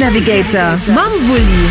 Navigator mam Wulli.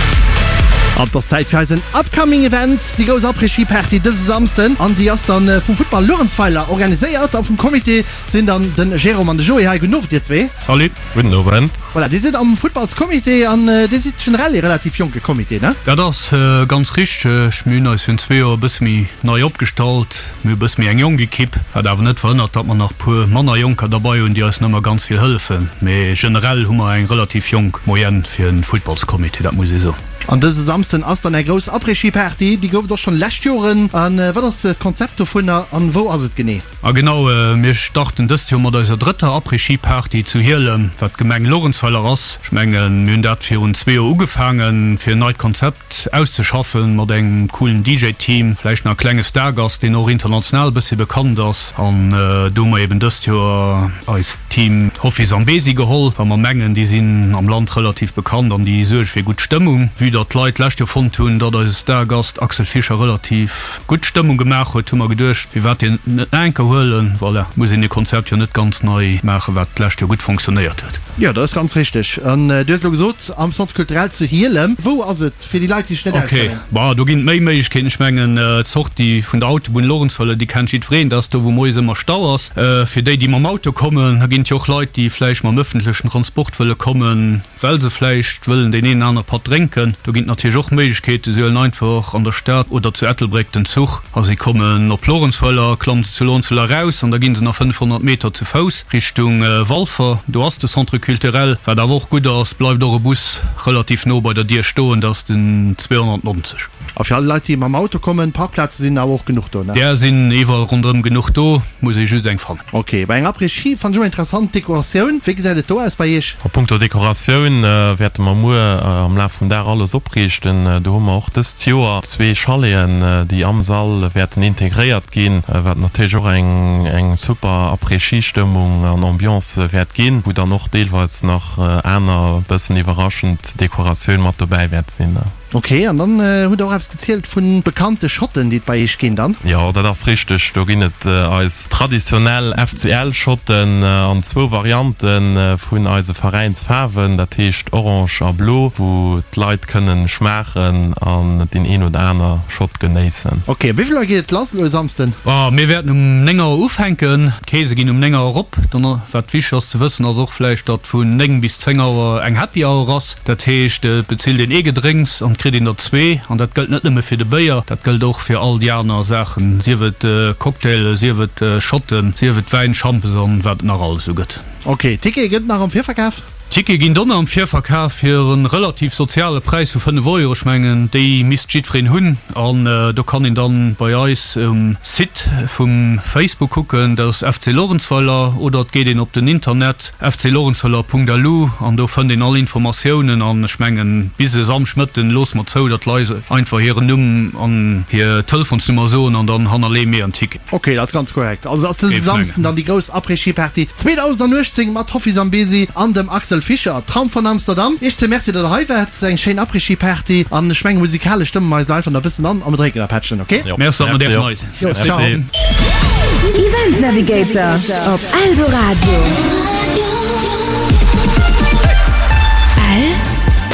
An et ass Zäit fir eisen Upcoming Event, déi grouss Après-Ski-Party dëse Samsden. An déi ass dann vum Futtball Luerenzweiler organiséiert a vum Comité sinn dann den Jérôme an de Joé hei. Gudden Owend dir zwee. Salut. Gudden Owend. Voilà, dir sidd am Futtballscomité an dir sidd generell ee relativ jonke Comité, ne? Dat ass ganz richteg. Mir hunn eis virun zwee Joer e bësse méi nei opgestallt. Mir hu bësse méi eng jonk Ekipp, wat awer net verhënnert, datt mer nach puer manner Jonker derbei hunn, déi eis nach ëmmer ganz vill hëllefen. Mee generell hu mer eng relativ jonk Moyenne fir e Futtballscomité, dat muss ee soen. An dëse Samsden ass dann eng grouss Après-Ski-Party. Déi gouf et och schonn lescht Joren. A wat ass d'Konzept dovunner an wou ass et genee? A genau, mir starten dëst Joer mat eiser drëtter Après-Ski-Party zu Hielem, wat d'Gemeng Luerenzweiler ass. Ech mengen, mir hunn dat virun zwee Joer ugefaangen, fir en neit Konzept auszeschaffen mat engem coolen DJ-Team, vläicht nach e klenge Stargast, deen och international e bëssi bekannt ass. An do hu mer eben dëst Joer eist Team Hoffi Zambezi geholl, well mer mengen, déi sinn am Land relativ bekannt an déi suerge fir gutt Stëmmung. Vue datt d'Leit d'lescht Joer fonnt hunn, datt eise Stargast Axel Fischer relativ gutt Stëmmung gemaach huet, hu mer geduecht, firwat deen net nach eng Kéier huelen. Voilà, muss een e Konzept jo net ganz nei maachen, wat d'lescht Joer gutt fonctionnéiert huet. Jo, dat ass ganz richteg. An du hues elo gesot, am Centre culturel zu Hielem. Wou ass et, fir déi Leit, déi sech net auskennen? Ok, bon, do ginn et méi Méiglechkeeten. Ech mengen, d'Sortie vun der Autobunn Lorentzweiler, déi kennt jiddwereen. Dat ass do, wou moies ëmmer Stau ass. Fir déi, déi mam Auto kommen, da ginn et jo och Leit, déi vläicht mam ëffentlechen Transport wëlle kommen, well se vläicht wëllen deen een oder anere Patt drénken. Do ginn et natierlech och Méiglechkeeten. Si huelen einfach an der Stad oder zu Ettelbréck den Zuch a si kommen op Lorentzweiler, klammen se zu Lorentzweiler eraus an da gi se nach 500 Meter zu Fouss. Richtung Walfer, do ass de Centre culturel. Wat awer och gutt ass, bleift och e Bus relativ no bei der Dier stoen, dat ass den 290. A fir all Leit, déi mam Auto kommen, Parkplaze sinn awer och genuch do, ne? Där sinn iwwerall ronderëm genuch do, muss ee just eng fannen. Ok, bei enger Après-Ski fannen ech ëmmer interessant d'Dekoratioun. Wéi gesäit et do aus bei iech? A punkto Dekoratioun wäerte mer muer am Laf vum Dag alles opriichten. Do hu mer och dëst Joer zwee Chaleten, déi am Sall wäerten integréiert ginn, wat natierlech och eng super Après-Ski-Stëmmung an Ambiance wäert ginn, wou dann och deelweis nach aner bëssen iwwerraschend Dekoratioun mat dobäi wäert sinn. Ok, an dann hutt der och eppes gezielt vu bekannte Shotten, déi et bei iech ginn dann? Jo, dat ass richteg. Do ginn et eis traditionell FCL-Shotten an zwou Variante vun eise Veräinsfaarwen, dat heescht orange a blo, wou d'Leit kënnen schmaachen an deen een oder aner Shot genéissen. Ok, wéi vill Auer geet et lass elo e Samsden? Mir wäerten um 9 Auer ufänken. D'Keese ginn um 9 Auer erop. Dann, wat wichteg ass ze wëssen, ass och vläicht, datt vun 9 bis 10 Auer eng Happy Hour ass. Dat heescht, et bezilt een ee Gedrénks an et kritt een der zwee. An dat gëllt net nëmme fir de Béier, dat gëllt och fir all déi aner Saachen, sief et Cocktaile, sief et Shotten, sief et Wäin, Schampes an wat et nach alles esou gëtt. Ok, Tickete gëtt et nach am Virverkaf? Tickete ginn donner am Virverkaf fir e relativ soziale Präis vu 5 Euro. Ech mengen, déi misst jiddwereen hunn. An do kann een dann bei eis um Site vum Facebook kucken, dat ass FC Lorentzweiler, oder et geet een op den Internet fclorentzweiler.lu an do fënnt een all Informatiounen. An ech mengen, bis e Samschdmëtten loosse mer zou, datt d'Leit einfach hiren Numm an hir Telefonsnummer soen an dann hannerleeë mir en Ticket. Ok, dat ass ganz korrekt. Also ass dëse Samsden dann déi grouss Après-Ski-Party 2018 mat Hoffi Zambezi an dem Axel Fischer, Traum von Amsterdam. Iech zwee Merci, datt der hei waart. Eng schéin Après-Ski-Party an ech mengen musikalesch stëmme mer eis elo einfach nach e bëssen an a mer drénken e Pättchen, ok? Merci, datt mer däerfen hei sinn. Jo, ciao. Event Navigator op Eldoradio.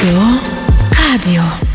Eldoradio.